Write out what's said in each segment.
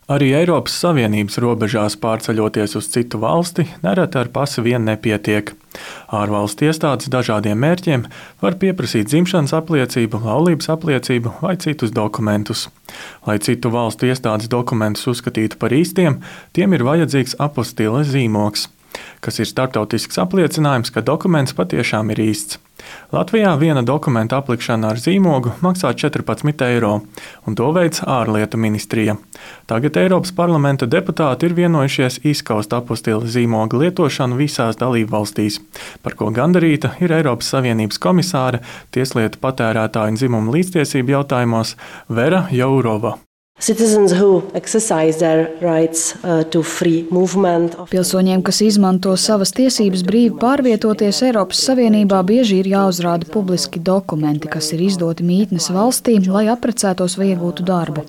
Arī Eiropas Savienības robežās pārceļoties uz citu valsti, nereti ar pasi vien nepietiek. Ārvalstu iestādes dažādiem mērķiem var pieprasīt dzimšanas apliecību, laulības apliecību vai citus dokumentus. Lai citu valstu iestādes dokumentus uzskatītu par īstiem, tiem ir vajadzīgs apostila zīmogs, kas ir starptautisks apliecinājums, ka dokuments patiešām ir īsts. Latvijā viena dokumenta aplikšana ar zīmogu maksā 14 eiro, un to veic ārlietu ministrija. Tagad Eiropas parlamenta deputāti ir vienojušies izskaust apostila zīmoga lietošanu visās dalībvalstīs, par ko gandarīta ir Eiropas Savienības komisāre tieslietu, patērētāju un dzimumu līdztiesību jautājumos Vera Jourova. Pilsoņiem, kas izmanto savas tiesības brīvi pārvietoties Eiropas Savienībā, bieži ir jāuzrāda publiski dokumenti, kas ir izdoti mītnes valstī, lai apprecētos vai iegūtu darbu.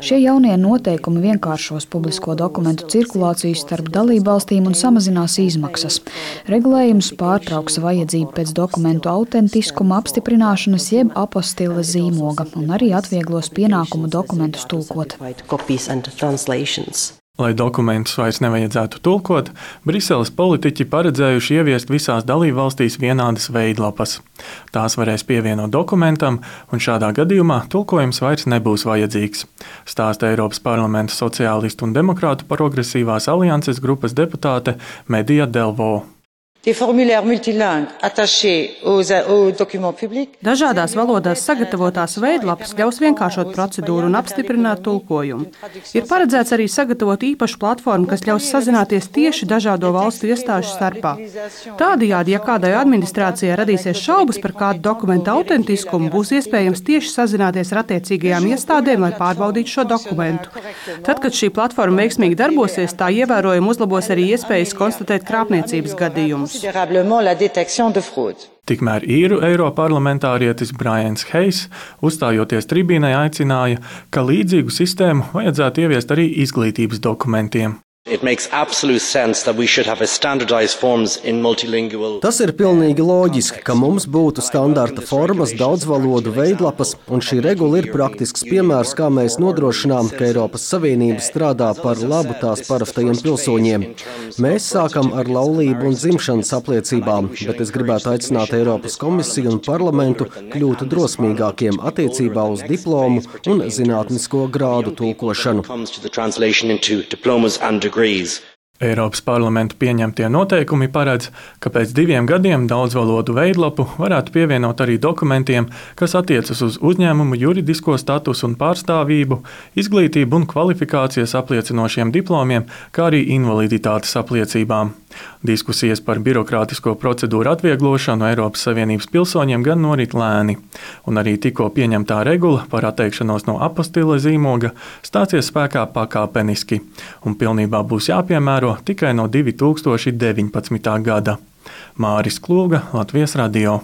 Šie jaunie noteikumi vienkāršos publisko dokumentu cirkulāciju starp dalībvalstīm un samazinās izmaksas. Regulējums pārtrauks vajadzību pēc dokumentu autentiskuma apstiprināšanas jeb apostila zīmoga un arī atvieglos pienākumu dokumentus tulkot. Lai dokumentus vairs nevajadzētu tulkot, Briseles politiķi paredzējuši ieviest visās dalībvalstīs vienādas veidlapas. Tās varēs pievienot dokumentam, un šādā gadījumā tulkojums vairs nebūs vajadzīgs, stāsta Eiropas parlamenta sociālistu un demokrātu progresīvās alianses grupas deputāte Medija Delvo. Dažādās valodās sagatavotās veidlapas ļaus vienkāršot procedūru un apstiprināt tulkojumu. Ir paredzēts arī sagatavot īpašu platformu, kas ļaus sazināties tieši dažādo valstu iestāžu starpā. Tādējādi, ja kādai administrācijai radīsies šaubas par kādu dokumentu autentiskumu, būs iespējams tieši sazināties ar attiecīgajām iestādēm, lai pārbaudītu šo dokumentu. Tad, kad šī platforma veiksmīgi darbosies, tā ievērojami uzlabos arī iespējas konstatēt krāpniecības gadījumus. Tikmēr īru eiroparlamentārietis Brians Hayes, uzstājoties tribīnai, aicināja, ka līdzīgu sistēmu vajadzētu ieviest arī izglītības dokumentiem. Tas ir pilnīgi loģiski, ka mums būtu standarta formas, daudzvalodu veidlapas, un šī regula ir praktisks piemērs, kā mēs nodrošinām, ka Eiropas Savienība strādā par labu tās parastajiem pilsoņiem. Mēs sākam ar laulību un dzimšanas apliecībām, bet es gribētu aicināt Eiropas komisiju un parlamentu kļūt drosmīgākiem attiecībā uz diplomu un zinātnisko grādu tulkošanu. Eiropas parlamenta pieņemtie noteikumi paredz, ka pēc 2 gadiem daudzvalodu veidlapu varētu pievienot arī dokumentiem, kas attiecas uz uzņēmumu juridisko statusu un pārstāvību, izglītību un kvalifikācijas apliecinošiem diplomiem, kā arī invaliditātes apliecībām. Diskusijas par birokrātisko procedūru atvieglošanu Eiropas Savienības pilsoņiem gan norit lēni, un arī tikko pieņemtā regula par atteikšanos no apostila zīmoga stāsies spēkā pakāpeniski, un pilnībā būs jāpiemēro tikai no 2019. gada. Māris Klūga, Latvijas radio.